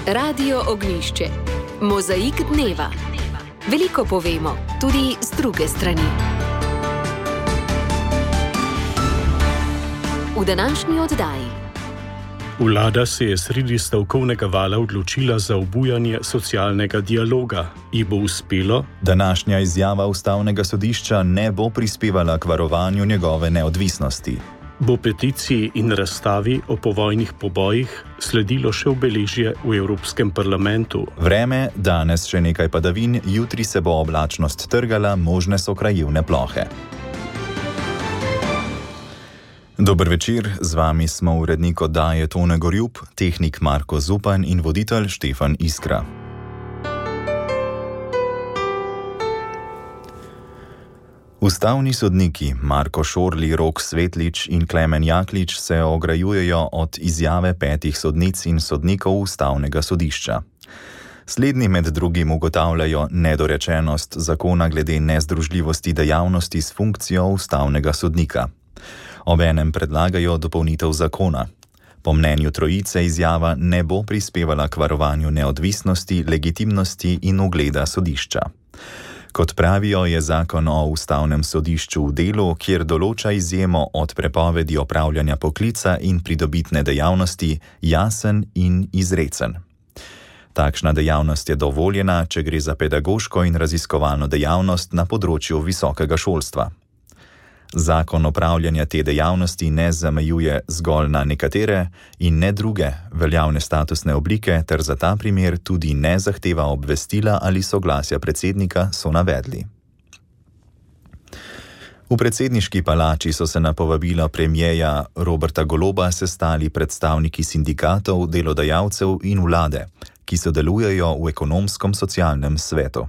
Radio Ognjišče. Mozaik dneva. Veliko povemo, tudi z druge strani. V današnji oddaji. Vlada se je sredi stavkovnega vala odločila za obujanje socialnega dialoga. Ji bo uspelo? Današnja izjava Ustavnega sodišča ne bo prispevala k varovanju njegove neodvisnosti. Bo peticiji in razstavi o povojnih pobojih sledilo še obeležje v Evropskem parlamentu? Vreme, danes še nekaj padavin, jutri se bo oblačnost trgala, možne so krajevne plohe. Dober večer, z vami smo urednik oddaje Tone Gorjup, tehnik Marko Zupan in voditelj Štefan Iskra. Ustavni sodniki Marko Šorli, Rok Svetlič in Klemen Jaklič se ograjujejo od izjave 5 sodnic in sodnikov Ustavnega sodišča. Slednji med drugim ugotavljajo nedorečenost zakona glede nezdružljivosti dejavnosti s funkcijo ustavnega sodnika. Obenem predlagajo dopolnitev zakona. Po mnenju trojice izjava ne bo prispevala k varovanju neodvisnosti, legitimnosti in ugleda sodišča. Kot pravijo, je zakon o ustavnem sodišču v delu, kjer določa izjemo od prepovedi opravljanja poklica in pridobitne dejavnosti, jasen in izrecen. Takšna dejavnost je dovoljena, če gre za pedagoško in raziskovalno dejavnost na področju visokega šolstva. Zakon opravljanja te dejavnosti ne zamejuje zgolj na nekatere in ne druge veljavne statusne oblike, ter za ta primer tudi ne zahteva obvestila ali soglasja predsednika, so navedli. V predsedniški palači so se na povabilo premierja Roberta Goloba sestali predstavniki sindikatov, delodajalcev in vlade, ki sodelujejo v ekonomsko-socialnem svetu.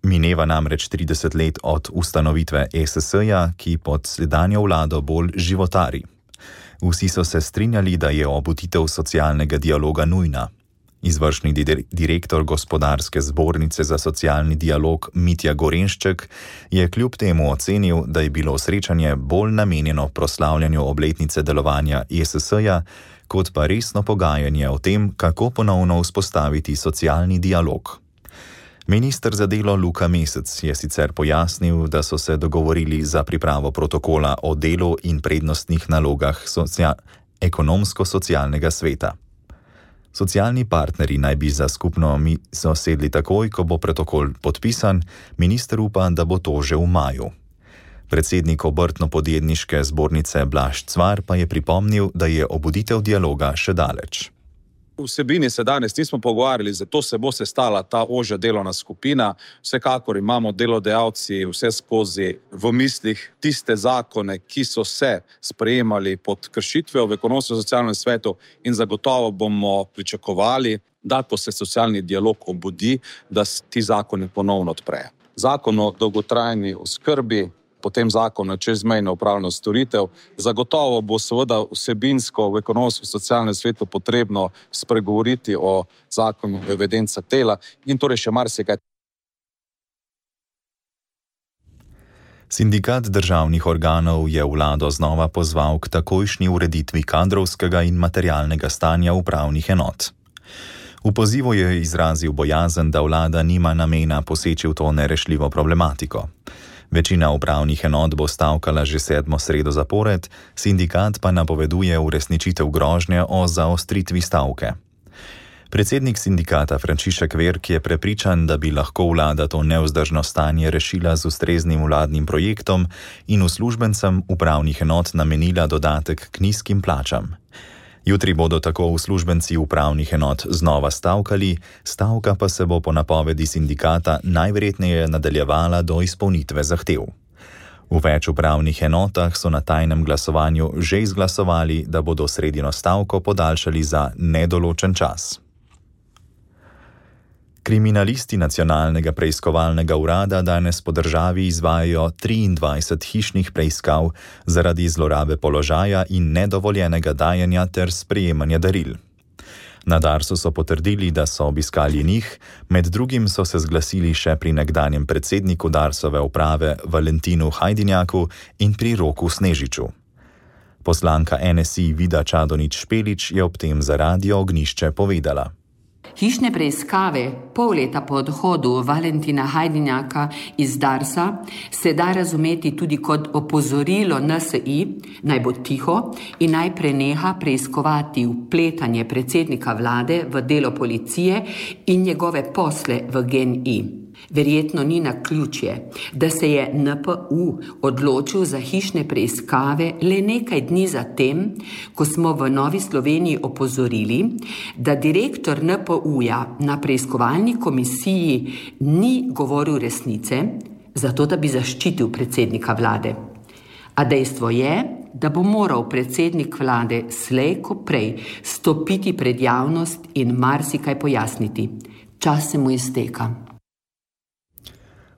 Mineva namreč 30 let od ustanovitve ESS-ja, ki pod sedanjo vlado bolj životari. Vsi so se strinjali, da je obuditev socialnega dialoga nujna. Izvršni direktor Gospodarske zbornice za socialni dialog Mitja Gorenšček je kljub temu ocenil, da je bilo srečanje bolj namenjeno proslavljanju obletnice delovanja ESS-ja, kot pa resno pogajanje o tem, kako ponovno vzpostaviti socialni dialog. Minister za delo Luka Mesec je sicer pojasnil, da so se dogovorili za pripravo protokola o delu in prednostnih nalogah ekonomsko-socialnega sveta. Socialni partnerji naj bi za skupno mizo sedli takoj, ko bo protokol podpisan, minister upa, da bo to že v maju. Predsednik Obrtno-podjetniške zbornice Blaž Cvar pa je pripomnil, da je obuditev dialoga še daleč. Vsebini se danes nismo pogovarjali, zato se bo sestala ta ožja delovna skupina. Vsekakor imamo delodajalci vse skozi v mislih tiste zakone, ki so se sprejemali pod kršitvijo v ekonomsko-socialnem svetu in zagotovo bomo pričakovali, da ko se socialni dialog obudi, da se ti zakoni ponovno odprejo. Zakon o dolgotrajni oskrbi, potem zakon o čezmejno upravljanje storitev. Zagotovo bo seveda vsebinsko v ekonomsko-socialnem svetu potrebno spregovoriti o zakonu o evidencah dela in torej še marsikaj. Sindikat državnih organov je vlado znova pozval k takojšnji ureditvi kadrovskega in materialnega stanja upravnih enot. V pozivu je izrazil bojazen, da vlada nima namena poseči v to nerešljivo problematiko. Večina upravnih enot bo stavkala že 7. sredo zapored, sindikat pa napoveduje uresničitev grožnje o zaostritvi stavke. Predsednik sindikata Frančišek Verk je prepričan, da bi lahko vlada to nevzdržno stanje rešila z ustreznim vladnim projektom in uslužbencem upravnih enot namenila dodatek k nizkim plačam. Jutri bodo tako uslužbenci upravnih enot znova stavkali, stavka pa se bo po napovedi sindikata najverjetneje nadaljevala do izpolnitve zahtev. V več upravnih enotah so na tajnem glasovanju že izglasovali, da bodo sredino stavko podaljšali za nedoločen čas. Kriminalisti Nacionalnega preiskovalnega urada danes po državi izvajajo 23 hišnih preiskav zaradi zlorabe položaja in nedovoljenega dajanja ter sprejemanja daril. Na Darsu so potrdili, da so obiskali njih, med drugim so se zglasili še pri nekdanjem predsedniku Darsove uprave Valentinu Hajdinjaku in pri Roku Snežiču. Poslanka NSI Vida Čadonič-Špelič je ob tem za Radio Ognjišče povedala. Hišne preiskave pol leta po odhodu Valentina Hajdinjaka iz Darsa se da razumeti tudi kot opozorilo NSI, naj bo tiho in naj preneha preiskovati vpletanje predsednika vlade v delo policije in njegove posle v GEN-I. Verjetno ni naključje, da se je NPU odločil za hišne preiskave le nekaj dni zatem, ko smo v Novi Sloveniji opozorili, da direktor NPU-ja na preiskovalni komisiji ni govoril resnice, zato da bi zaščitil predsednika vlade. A dejstvo je, da bo moral predsednik vlade slej ko prej stopiti pred javnost in marsikaj pojasniti. Čas se mu izteka.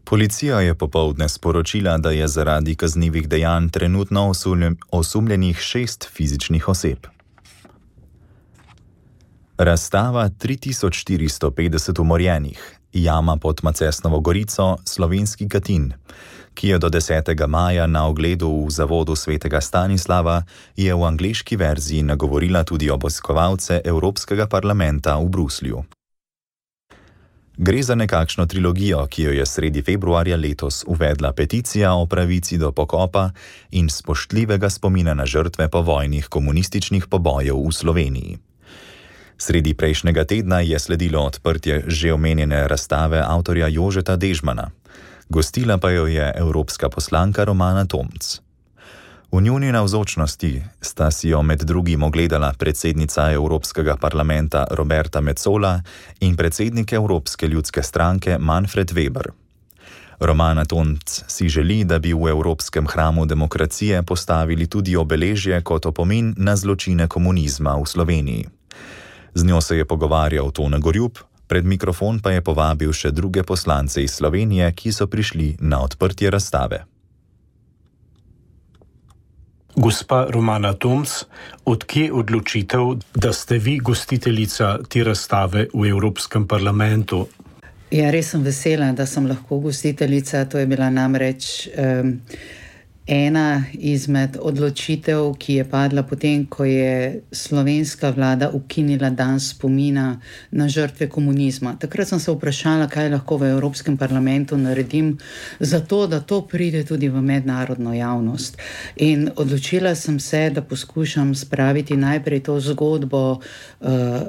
Policija je popoldne sporočila, da je zaradi kaznivih dejanj trenutno osumljenih 6 fizičnih oseb. Razstava 3450 umorjenih, jama pod Macesnovo Gorico, Slovenski Katin, ki je do 10. maja na ogledu v zavodu Svetega Stanislava, je v angleški verziji nagovorila tudi obiskovalce Evropskega parlamenta v Bruslju. Gre za nekakšno trilogijo, ki jo je sredi februarja letos uvedla peticija o pravici do pokopa in spoštljivega spomina na žrtve povojnih komunističnih pobojev v Sloveniji. Sredi prejšnjega tedna je sledilo odprtje že omenjene razstave avtorja Jožeta Dežmana. Gostila pa jo je evropska poslanka Romana Tomc. V njuni navzočnosti sta si jo med drugim ogledala predsednica Evropskega parlamenta Roberta Metsola in predsednik Evropske ljudske stranke Manfred Weber. Romana Tomc si želi, da bi v Evropskem hramu demokracije postavili tudi obeležje kot opomin na zločine komunizma v Sloveniji. Z njo se je pogovarjal Tone Gorjup, pred mikrofon pa je povabil še druge poslance iz Slovenije, ki so prišli na odprtje razstave. Gospa Romana Tomc, odkje odločitev, da ste vi gostiteljica te razstave v Evropskem parlamentu? Ja, res sem vesela, da sem lahko gostiteljica. To je bila namreč ena izmed odločitev, ki je padla potem, ko je slovenska vlada ukinila dan spomina na žrtve komunizma. Takrat sem se vprašala, kaj lahko v Evropskem parlamentu naredim za to, da to pride tudi v mednarodno javnost. In odločila sem se, da poskušam spraviti najprej to zgodbo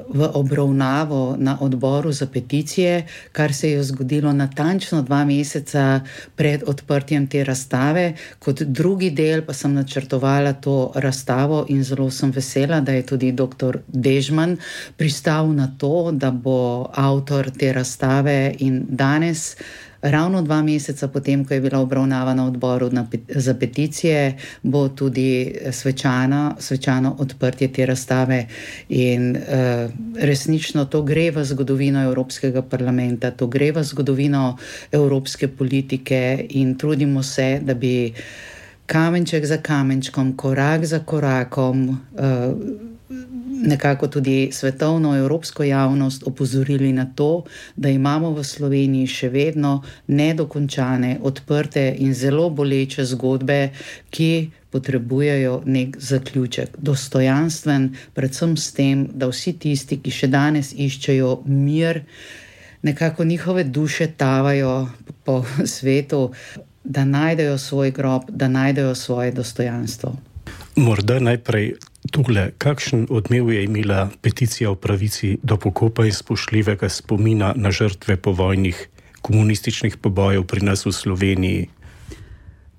v obravnavo na odboru za peticije, kar se je zgodilo natančno 2 meseca pred odprtjem te razstave. Kot drugi del pa sem načrtovala to razstavo in zelo sem vesela, da je tudi dr. Dežman pristal na to, da bo avtor te razstave in danes, ravno 2 meseca potem, ko je bila obravnava na odboru za peticije, bo tudi svečano odprtje te razstave. In resnično to gre v zgodovino Evropskega parlamenta, to gre v zgodovino evropske politike in trudimo se, da bi kamenček za kamenčkom, korak za korakom nekako tudi svetovno evropsko javnost opozorili na to, da imamo v Sloveniji še vedno nedokončane, odprte in zelo boleče zgodbe, ki potrebujejo nek zaključek. Dostojanstven, predvsem s tem, da vsi tisti, ki še danes iščejo mir, nekako njihove duše tavajo po svetu, da najdejo svoj grob, da najdejo svoje dostojanstvo. Morda najprej tole, kakšen odmev je imela peticija o pravici do pokopa in spoštljivega spomina na žrtve povojnih komunističnih pobojev pri nas v Sloveniji?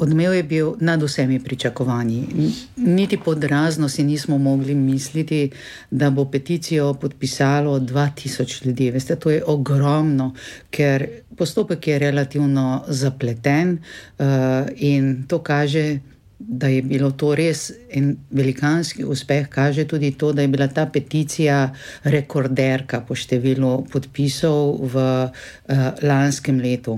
Odmev je bil nad vsemi pričakovanji. Niti pod razno si nismo mogli misliti, da bo peticijo podpisalo 2000 ljudi. Veste, to je ogromno, ker postopek je relativno zapleten in to kaže, da je bilo to res en velikanski uspeh. Kaže tudi to, da je bila ta peticija rekorderka po številu podpisov v lanskem letu.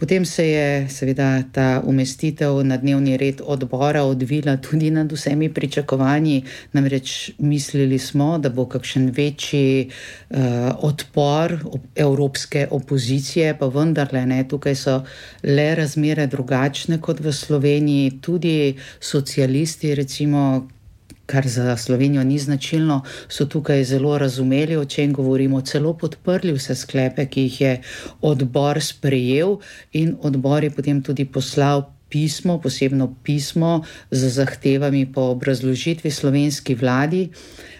Potem se je seveda ta umestitev na dnevni red odbora odvila tudi nad vsemi pričakovanji. Namreč mislili smo, da bo kakšen večji odpor evropske opozicije, pa vendarle ne. Tukaj so le razmere drugačne kot v Sloveniji. Tudi socialisti, recimo, kar za Slovenijo ni značilno, so tukaj zelo razumeli, o čem govorimo, celo podprli vse sklepe, ki jih je odbor sprejel, in odbor je potem tudi poslal pismo, posebno pismo z zahtevami po obrazložitvi slovenski vladi.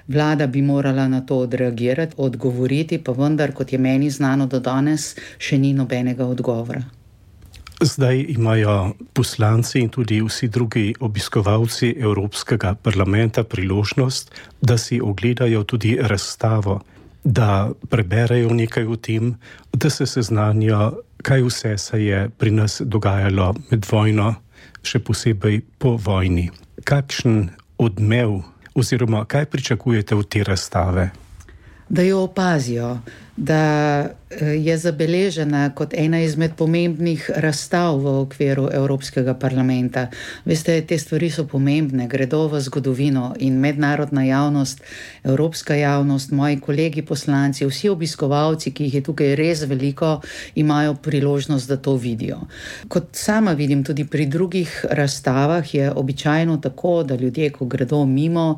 Vlada bi morala na to odreagirati, odgovoriti, pa vendar, kot je meni znano do danes, še ni nobenega odgovora. Zdaj imajo poslanci in tudi vsi drugi obiskovalci Evropskega parlamenta priložnost, da si ogledajo tudi razstavo, da preberejo nekaj o tem, da se seznanijo, kaj vse se je pri nas dogajalo med vojno, še posebej po vojni. Kakšen odmev oziroma kaj pričakujete od te razstave? Da jo opazijo, da je zabeležena kot ena izmed pomembnih razstav v okviru Evropskega parlamenta. Veste, te stvari so pomembne, gredo v zgodovino in mednarodna javnost, evropska javnost, moji kolegi poslanci, vsi obiskovalci, ki jih je tukaj res veliko, imajo priložnost, da to vidijo. Kot sama vidim tudi pri drugih razstavah, je običajno tako, da ljudje, ko gredo mimo,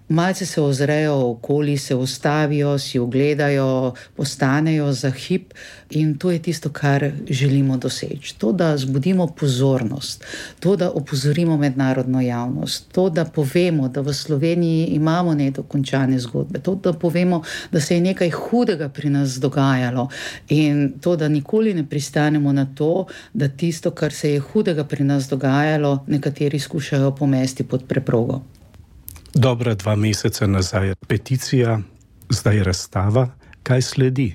malce se ozrejo okoli, se ustavijo, si ogledajo, postanejo za hip, in to je tisto, kar želimo doseči. To, da zbudimo pozornost, to, da opozorimo mednarodno javnost, to, da povemo, da v Sloveniji imamo nedokončane zgodbe, to, da povemo, da se je nekaj hudega pri nas dogajalo, in to, da nikoli ne pristanemo na to, da tisto, kar se je hudega pri nas dogajalo, nekateri skušajo pomesti pod preprogo. Dobra 2 meseca nazaj peticija, zdaj razstava. Kaj sledi?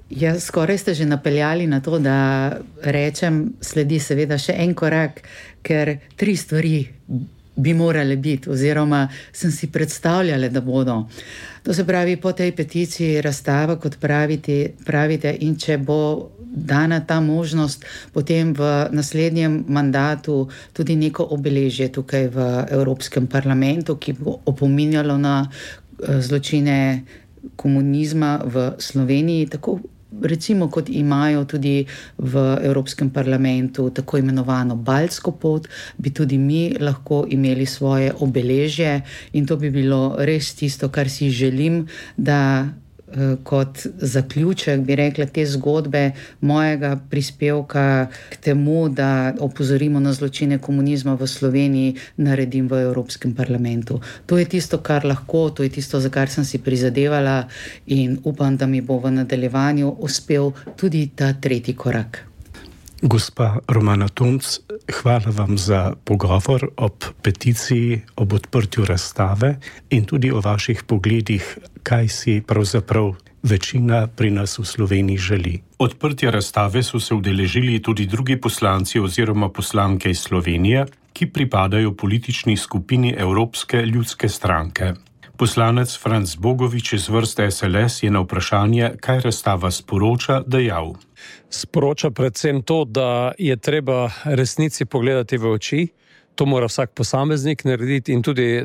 Ja, skoraj ste že napeljali na to, da rečem, sledi seveda še en korak, ker 3 stvari bi morale biti, oziroma sem si predstavljala, da bodo. To se pravi, po tej peticiji razstava, kot pravite, in če bo dana ta možnost, potem v naslednjem mandatu tudi neko obeležje tukaj v Evropskem parlamentu, ki bo opominjalo na zločine komunizma v Sloveniji, tako recimo kot imajo tudi v Evropskem parlamentu tako imenovano Baltsko pot, bi tudi mi lahko imeli svoje obeležje, in to bi bilo res tisto, kar si želim, da kot zaključek, bi rekla, te zgodbe mojega prispevka k temu, da opozorimo na zločine komunizma v Sloveniji, naredim v Evropskem parlamentu. To je tisto, kar lahko, to je tisto, za kar sem si prizadevala, in upam, da mi bo v nadaljevanju uspel tudi ta 3. korak. Gospa Romana Tomc, hvala vam za pogovor ob peticiji, ob odprtju razstave in tudi o vaših pogledih, kaj si pravzaprav večina pri nas v Sloveniji želi. Odprtja razstave so se udeležili tudi drugi poslanci oziroma poslanke iz Slovenije, ki pripadajo politični skupini Evropske ljudske stranke. Poslanec Franc Bogovič iz vrste SLS je na vprašanje, kaj razstava sporoča, dejal. Sporoča predvsem to, da je treba resnici pogledati v oči. To mora vsak posameznik narediti, in tudi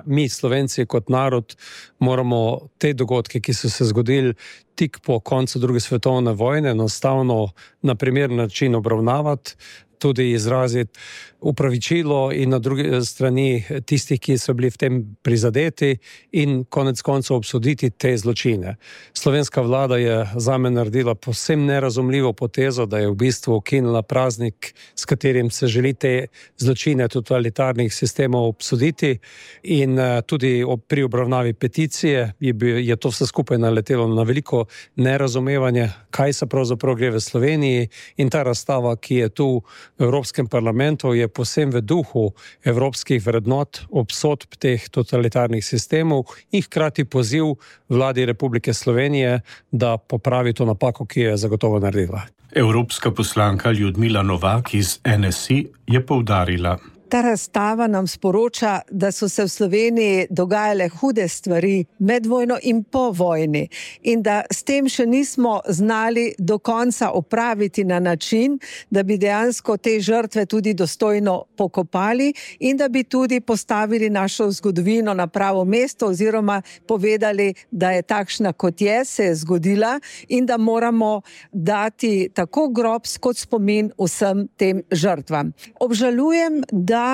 mi, Slovenci, kot narod, moramo te dogodke, ki so se zgodili tik po koncu 2. svetovne vojne, enostavno na primeren način obravnavati, tudi izraziti upravičilo in na drugi strani tistih, ki so bili v tem prizadeti, in konec koncev obsoditi te zločine. Slovenska vlada je zame naredila povsem nerazumljivo potezo, da je v bistvu ukinila praznik, s katerim se želi te zločine totalitarnih sistemov obsoditi, in tudi pri obravnavi peticije je to vse skupaj naletelo na veliko nerazumevanje, kaj se pravzaprav gre v Sloveniji, in ta razstava, ki je tu v Evropskem parlamentu, je posebej v duhu evropskih vrednot, obsodb teh totalitarnih sistemov in hkrati poziv vladi Republike Slovenije, da popravi to napako, ki je zagotovo naredila. Evropska poslanka Ljudmila Novak iz NSI je poudarila. Ta razstava nam sporoča, da so se v Sloveniji dogajale hude stvari med vojno in po vojni, in da s tem še nismo znali do konca opraviti na način, da bi dejansko te žrtve tudi dostojno pokopali in da bi tudi postavili našo zgodovino na pravo mesto oziroma povedali, da je takšna, kot je, se je zgodila, in da moramo dati tako grob kot spomin vsem tem žrtvam. Obžalujem, da da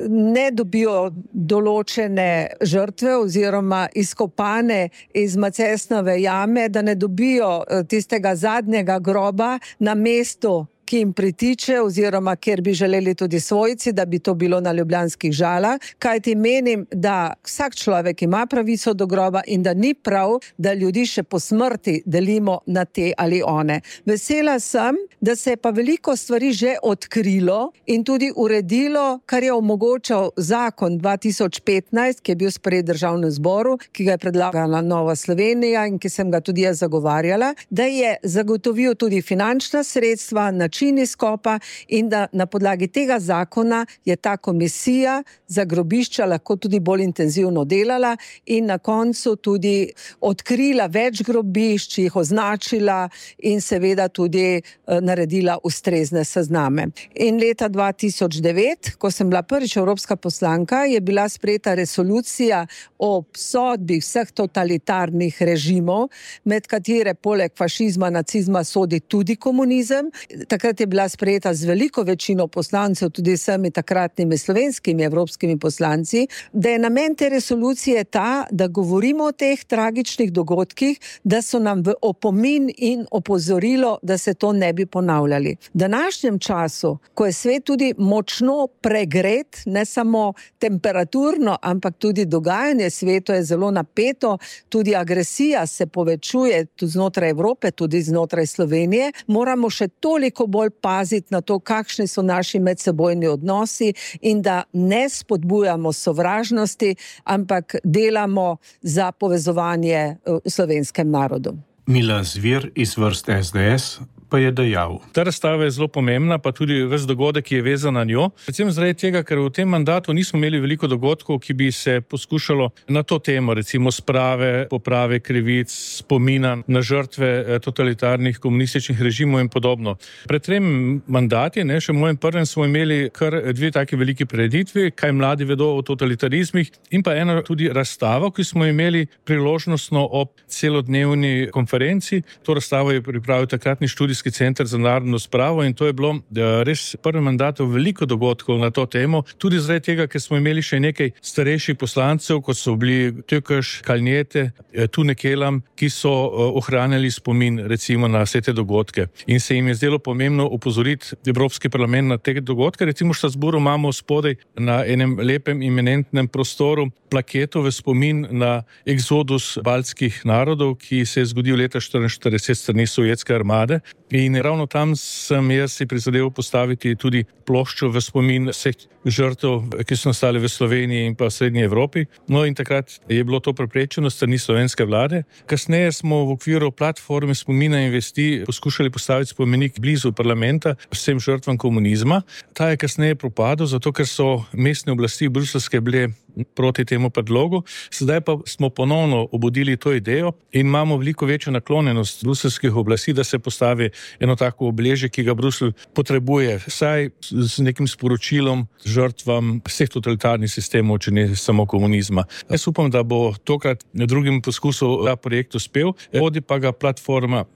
ne dobijo določene žrtve oziroma izkopane iz Macesnove jame, da ne dobijo tistega zadnjega groba na mestu, ki jim pritiče oziroma kjer bi želeli tudi svojci, da bi to bilo na Ljubljanskih Žalah, kajti menim, da vsak človek ima pravico do groba in da ni prav, da ljudi še po smrti delimo na te ali one. Vesela sem, da se je pa veliko stvari že odkrilo in tudi uredilo, kar je omogočal zakon 2015, ki je bil sprejet v Državnem zboru, ki ga je predlagala Nova Slovenija in ki sem ga tudi jaz zagovarjala, da je zagotovil tudi finančna sredstva, način izkopa in da na podlagi tega zakona je ta komisija za grobišča lahko tudi bolj intenzivno delala in na koncu tudi odkrila več grobišč, jih označila in seveda tudi naredila ustrezne sezname. In leta 2009, ko sem bila prvič evropska poslanka, je bila sprejeta resolucija o obsodbi vseh totalitarnih režimov, med katere poleg fašizma, nacizma sodi tudi komunizem. Takrat je bila sprejeta z veliko večino poslancev, tudi vsemi takratnimi slovenskimi evropskimi poslanci, da je namen te resolucije ta, da govorimo o teh tragičnih dogodkih, da so nam v opomin in opozorilo, da se to ne bi ponavljali. V današnjem času, ko je svet tudi močno pregret, ne samo temperaturno, ampak tudi dogajanje svetu je zelo napeto, tudi agresija se povečuje tudi znotraj Evrope, tudi znotraj Slovenije, moramo še toliko bolj paziti na to, kakšni so naši medsebojni odnosi in da ne spodbujamo sovražnosti, ampak delamo za povezovanje slovenskem narodu. Milan Zver iz vrst SDS pa je dejal. Ta razstava je zelo pomembna, pa tudi ves dogodek, ki je vezan na njo. Predvsem zaradi tega, ker v tem mandatu nismo imeli veliko dogodkov, ki bi se poskušalo na to temo, recimo sprave, poprave krivic, spomina na žrtve totalitarnih komunističnih režimov in podobno. Pred 3 mandati, še v mojem prvem, smo imeli kar 2 taki veliki prireditvi, kaj mladi vedo o totalitarizmih, in pa eno tudi razstavo, ki smo imeli priložnostno ob celodnevni konferenci. To razstavo je pripravil takratni študijski center za narodno spravo in to je bilo res prvem mandatu veliko dogodkov na to temo, tudi zaradi tega, ker smo imeli še nekaj starejših poslancev, kot so bili Tökeš, Kalnjete, Tune Kelam, ki so ohranjali spomin recimo na vse te dogodke. In se jim je zdelo pomembno opozoriti Evropski parlament na te dogodke. Recimo v Strasbourgu imamo spodaj na enem lepem eminentnem prostoru plaketo v spomin na eksodus baltskih narodov, ki se je zgodil leta 1944 strani sovjetske armade. In ravno tam sem jaz si prizadel postaviti tudi ploščo v spomin vseh žrtev, ki so nastali v Sloveniji in pa v Srednji Evropi. No in takrat je bilo to preprečeno strani slovenske vlade. Kasneje smo v okviru platforme spomina in vesti poskušali postaviti spomenik blizu parlamenta vsem žrtvam komunizma. Ta je kasneje propadel, zato ker so mestne oblasti bruseljske bile proti temu predlogu. Sedaj pa smo ponovno obudili to idejo in imamo veliko večjo naklonjenost bruseljskih oblasti, da se postavi eno tako obeležje, ki ga Bruselj potrebuje, vsaj z nekim sporočilom žrtvam vseh totalitarnih sistemov, če ne samo komunizma. Jaz upam, da bo tokrat na drugem poskusu ta projekt uspel, vodi pa ga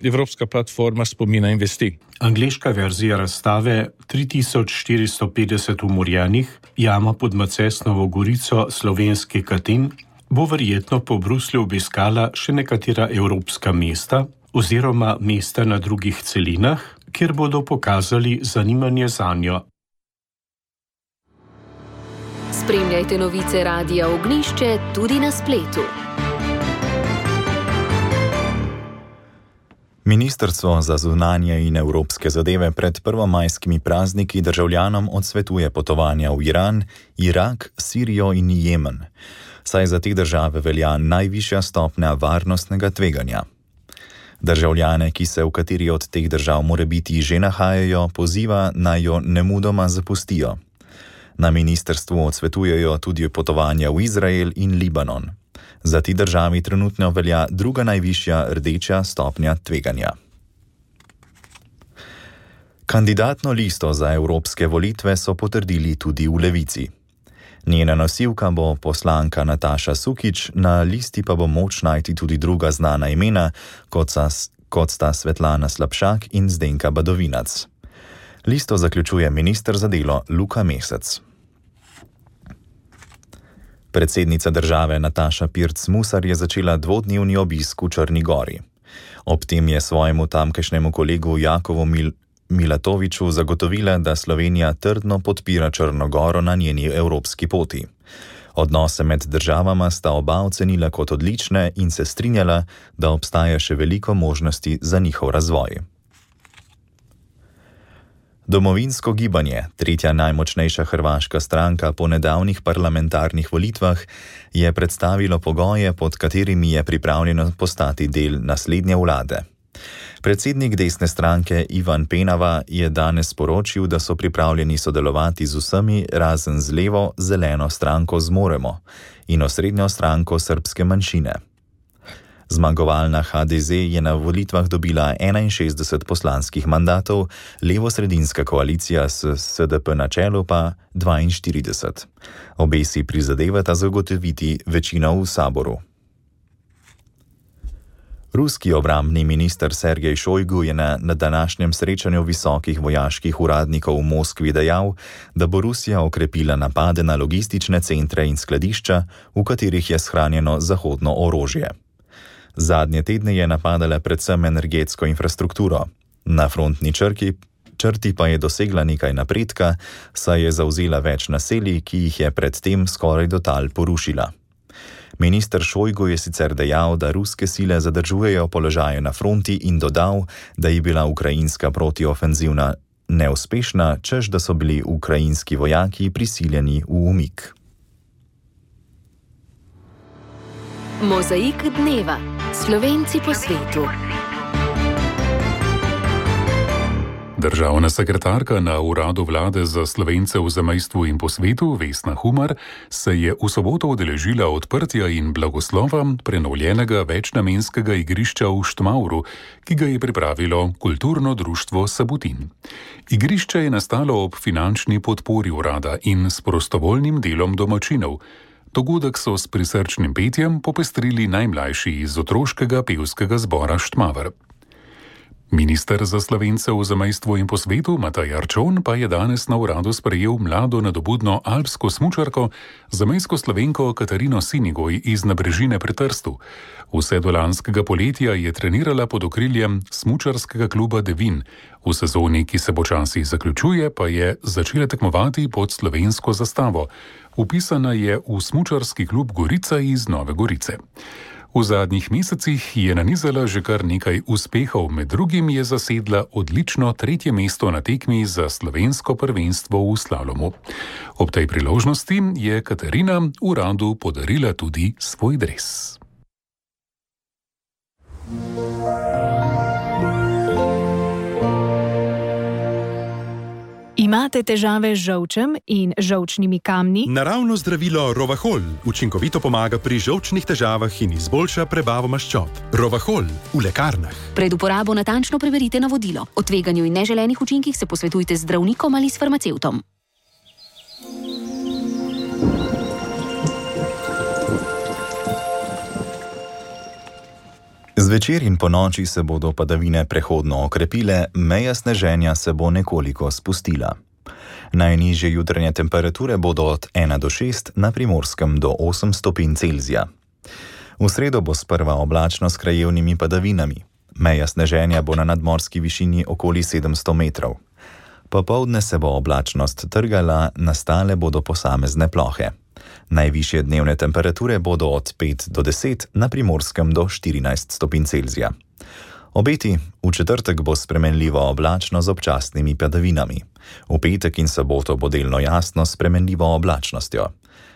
Evropska platforma spomina in vesti. Angleška verzija razstave 3450 umorjenih, jama pod Macesnovo gorico, slovenski Katin, bo verjetno po Bruslju obiskala še nekatera evropska mesta oziroma mesta na drugih celinah, kjer bodo pokazali zanimanje zanjo. Spremljajte novice Radia Ognjišče tudi na spletu. Ministrstvo za zunanje in evropske zadeve pred prvomajskimi prazniki državljanom odsvetuje potovanja v Iran, Irak, Sirijo in Jemen, saj za te države velja najvišja stopnja varnostnega tveganja. Državljane, ki se v kateri od teh držav morebiti že nahajajo, poziva, naj jo nemudoma zapustijo. Na ministrstvu odsvetujejo tudi potovanja v Izrael in Libanon. Za ti državi trenutno velja druga najvišja rdeča stopnja tveganja. Kandidatno listo za evropske volitve so potrdili tudi v Levici. Njena nosilka bo poslanka Nataša Sukič, na listi pa bo moč najti tudi druga znana imena, kot sta Svetlana Slapšak in Zdenka Badovinac. Listo zaključuje minister za delo Luka Mesec. Predsednica države Nataša Pirc Musar je začela dvodnevni obisk v Črni Gori. Ob tem je svojemu tamkajšnjemu kolegu Jakovu Milatoviču zagotovila, da Slovenija trdno podpira Črno Goro na njeni evropski poti. Odnose med državama sta oba ocenila kot odlične in se strinjala, da obstaja še veliko možnosti za njihov razvoj. Domovinsko gibanje, tretja najmočnejša hrvaška stranka po nedavnih parlamentarnih volitvah, je predstavilo pogoje, pod katerimi je pripravljeno postati del naslednje vlade. Predsednik desne stranke Ivan Penava je danes sporočil, da so pripravljeni sodelovati z vsemi razen z levo zeleno stranko Zmoremo in osrednjo stranko srpske manjšine. Zmagovalna HDZ je na volitvah dobila 61 poslanskih mandatov, levo-sredinska koalicija s SDP na čelu pa 42. Obe si prizadevata zagotoviti večino v saboru. Ruski obrambni minister Sergej Šojgu je na današnjem srečanju visokih vojaških uradnikov v Moskvi dejal, da bo Rusija okrepila napade na logistične centre in skladišča, v katerih je shranjeno zahodno orožje. Zadnje tedne je napadala predvsem energetsko infrastrukturo. Na frontni črti pa je dosegla nekaj napredka, saj je zavzela več naselij, ki jih je predtem skoraj do tal porušila. Minister Šojgu je sicer dejal, da ruske sile zadržujejo položaje na fronti in dodal, da je bila ukrajinska protiofenzivna neuspešna, češ da so bili ukrajinski vojaki prisiljeni v umik. Mozaik dneva. Slovenci po svetu. Državna sekretarka na uradu vlade za Slovence v zamejstvu in po svetu, Vesna Humar, se je v soboto udeležila odprtja in blagoslova prenovljenega večnamenskega igrišča v Štmauru, ki ga je pripravilo kulturno društvo Sabutin. Igrišče je nastalo ob finančni podpori urada in s prostovoljnim delom domačinov. Dogodek so s prisrčnim petjem popestrili najmlajši iz otroškega pevskega zbora Štmaver. Minister za Slovence v zamejstvu in po svetu Matej Arčon pa je danes na uradu sprejel mlado nadobudno alpsko smučarko, zamejsko Slovenko Katarino Sinigoj iz Nabrežine pri Trstu. Vse do lanskega poletja je trenirala pod okriljem smučarskega kluba Devin. V sezoni, ki se počasi zaključuje, pa je začela tekmovati pod slovensko zastavo. Vpisana je v smučarski klub Gorica iz Nove Gorice. V zadnjih mesecih je nanizala že kar nekaj uspehov, med drugim je zasedla odlično 3. mesto na tekmi za slovensko prvenstvo v slalomu. Ob tej priložnosti je Katarina uradu podarila tudi svoj dres. Imate težave z žolčem in žolčnimi kamni? Naravno zdravilo Rovahol učinkovito pomaga pri žolčnih težavah in izboljša prebavo maščob. Rovahol v lekarnah. Pred uporabo natančno preverite navodilo. O tveganju in neželenih učinkih se posvetujte z zdravnikom ali s farmacevtom. Zvečer in ponoči se bodo padavine prehodno okrepile, meja sneženja se bo nekoliko spustila. Najnižje jutranje temperature bodo od 1 do 6, na Primorskem do 8 stopinj Celzija. V sredo bo sprva oblačno s krajevnimi padavinami. Meja sneženja bo na nadmorski višini okoli 700 metrov. Popoldne se bo oblačnost trgala, nastale bodo posamezne plohe. Najvišje dnevne temperature bodo od 5 do 10, na Primorskem do 14 stopinj Celzija. Obeti: v četrtek bo spremenljivo oblačno z občasnimi padavinami. V petek in soboto bo delno jasno s spremenljivo oblačnostjo.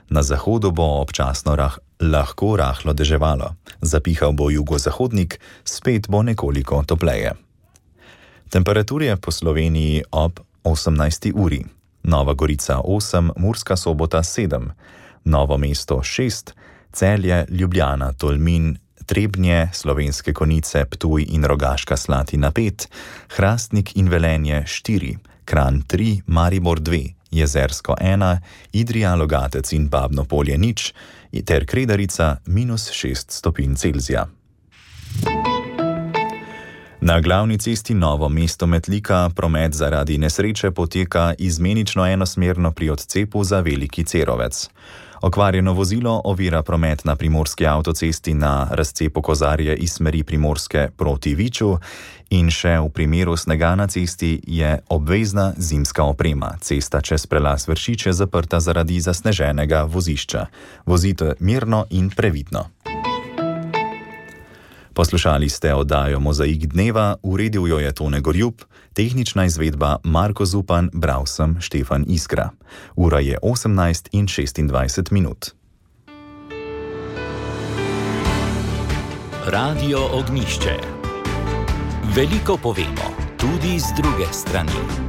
Na zahodu bo občasno lahko rahlo deževalo. Zapihal bo jugozahodnik, spet bo nekoliko topleje. Temperature po Sloveniji ob 18. uri. Nova Gorica 8, Murska Sobota 7, Novo mesto 6, Celje, Ljubljana, Tolmin, Trebnje, Slovenske Konjice, Ptuj in Rogaška Slatina 5, Hrastnik in Velenje 4, Kranj 3, Maribor 2, Jezersko 1, Idrija, Logatec in Babno Polje 0 ter Kredarica -6 stopinj Celzija. Na glavni cesti Novo mesto-Metlika promet zaradi nesreče poteka izmenično enosmerno pri odcepu za Veliki Cerovec. Okvarjeno vozilo ovira promet na primorski avtocesti na razcepu Kozarje iz smeri Primorske proti Viču in še v primeru snega na cesti je obvezna zimska oprema. Cesta čez prelaz Vršič je zaprta zaradi zasneženega vozišča. Vozite mirno in previdno. Poslušali ste oddajo Mozaik dneva, uredil jo je Tone Gorjup, tehnična izvedba Marko Zupan, bral sem Štefan Iskra. Ura je 18:26 minut. Radio Ognjišče. Veliko povemo, tudi z druge strani.